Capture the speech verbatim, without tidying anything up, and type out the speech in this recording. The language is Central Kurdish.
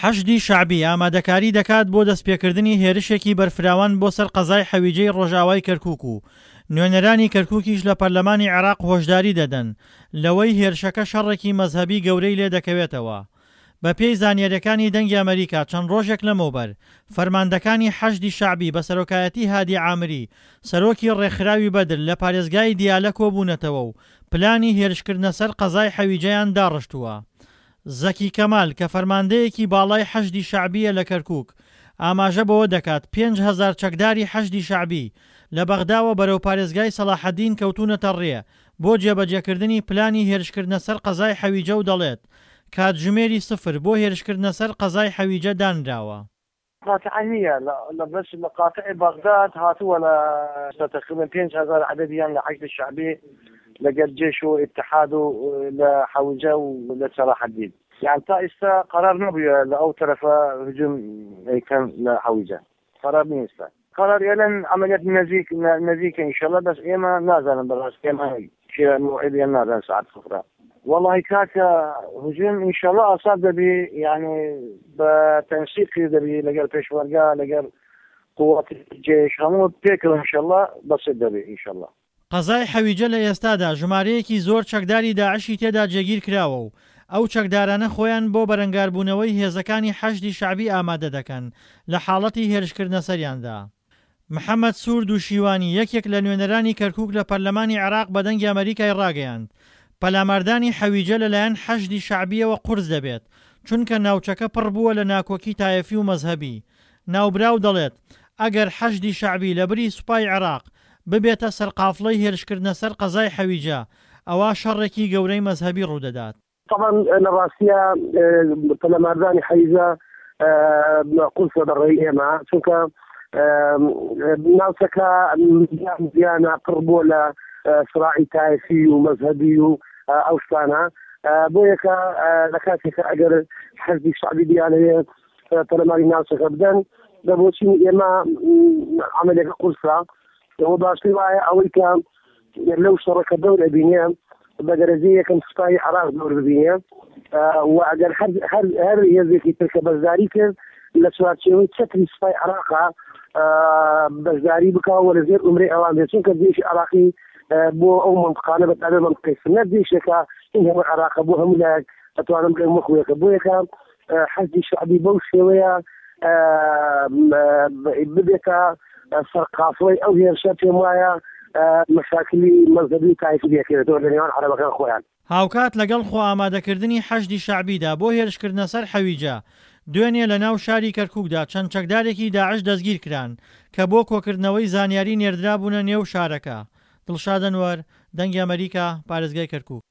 حەشدی شەعبی ئامادەکاری دەکات بۆ دەستپێکردنی هێرشێکی بەرفراوان بۆ سەر قەزای حەویجەی ڕۆژئاوای کەرکوک و نوێنەرانی کەرکوکیش لە پەرلەمانی عێراق هۆشداری دەدەن لەوەی هێرشەکە شەڕێکی مەزهەبی گەورەی لێدەکەوێتەوە. بەپێی زانیاریەکانی دەنگی ئەمەریکا چەند ڕۆژێک لەمەوبەر فەرماندەکانی حەشدی شەعبی بە سەرۆکایەتی هادی عامری سەرۆکی ڕێکخراوی بەدر لە پارێزگای دیالە کۆبوونەتەوە و پلانی هێرشکردنە سەر قەزای حەویجەیان داڕشتووە. زەکی کەمال کە فەرماندەیەکی باڵای حەشدی شەعبییە لە کەرکوک ئاماژە بەوە دەکات پێنج هەزار چەکداری حەشدی شەعبی لە بەغداوە بەرەو پارێزگای سەڵاحەدین کەوتوونەتە ڕێ بۆ جێبەجێکردنی پلانی هێرشکردنە سەر قەزای حەویجە و دەڵێت کاتژمێری سفر بۆ هێرشکردنە سەر قەزای حەویجە دانراوە. قاتعە نییە لە بەس لە قاتعی بەغداد هاتووە لە تقریبا پێنج هەزار عەدەدیان لە حەشدی شەعبی لەگەل جێش و ئیتحاد و لە حەویجە و لە سەلاحەدین یان تا ئێستا قەرار نەبووە لە ئەو تەرەفە هجوم ئەیکەن لە حەویجە قەرار نییە ئێستا قەرار ئێلەن عەمەلیات نزیک نزیکە ئینشەڵا بەس ئێمە نازانم بەڕاست ئێمە کێ موعیدیان نازان سەعات سفرە وەڵاهی کاکە هجوم ئینشەڵا ئاسان دەبی یعنی بە تەنسیقی دەبی لەگەڵ پێشمەرگە لەگەڵ قوات جێش هەموو پێکەوە ئینشەڵا بەسیط دەبی ئینشەڵا. قەزای حەویجە لە ئێستادا ژمارەیەکی زۆر چەکداری داعشی تێدا جێگیر کراوە و ئەو چەکدارانە خۆیان بۆ بەرەنگاربوونەوەی هێزەکانی حەشدی شەعبی ئامادە دەکەن لە حاڵەتی هێرشکردنە سەریاندا. محەمەد سوور دووشیوانی، یەکێک لە نوێنەرانی کەرکوک لە پەرلەمانی عێراق بە دەنگی ئەمەریکای ڕاگەیاند، پەلاماردانی حەویجە لەلایەن حەشدی شەعبییەوە قورس دەبێت، چونکە ناوچەکە پڕ بووە لە ناکۆکی تایەفی و مەزهەبی. ناوبراو دەڵێت، ئەگەر حەشدی شەعبی لەبری سوپای عێراق ببێتە سەرقافڵەی هێرشکردنە سەر قەزای حەویجە، ئەوا شەڕێکی گەورەی مەزهەبی ڕوودەدات. تەبعەن لە ڕاستیا پەلاماردانی حەویجە قورسە بە ڕێی ئێمە، چونکە ناوچەکە زیانە پڕ بووە لە سراعی تایفی و مەزهەبی و ئەو شتانە، بۆ یەکە لە کاتێکە ئەگەر حەشدی شەعبی بیانەوێت پەلاماری ناوچەکە بدەن، بە بۆچینی ئێمە عەمەلیەکە قورسە. ئەوە باشتر وایە ئەوەی کە لەو شەڕەکە دەور ئەبینێ بە دەرەجەی یەکەم سوپای عێراق دەور ببینێ و ئەگەر هەر هەر هێزێکی تر کە بەشداری کرد لە چوارچێوەی چەتری سوپای عێراقا بەشداری بکا و لەژێر ئومرەی ئەوان بێت، چونکە جێشی عێراقی بۆ ئەو منطقانە بە تایبەت منطقەی سنە جێشێکە این هەموو عێراقە بۆ هەموو لایەک ئەتوانم بڵێم وەکوویەکە. بۆ یەکە حەشدی شەعبی بەو شێوەیە ببێتە سەرقافڵەی ئەو هێرشە، پێم وایە مەشاکلی مەزهەبی و تایفی لێکەوێتەوە لە نێوان عەرەبەکان خۆیان. هاوکات لەگەڵ خۆئامادەکردنی حەشدی شەعبیدا بۆ هێرشکردنە سەر حەویجە، دوێنێ لە ناو شاری کەرکوکدا چەند چەکدارێکی داعش دەستگیرکران کە بۆ کۆکردنەوەی زانیاری نێردرابوونە نێو شارەکە. دڵشاد ئەنوەر، دەنگی ئەمەریکا، پارێزگای کەرکوک.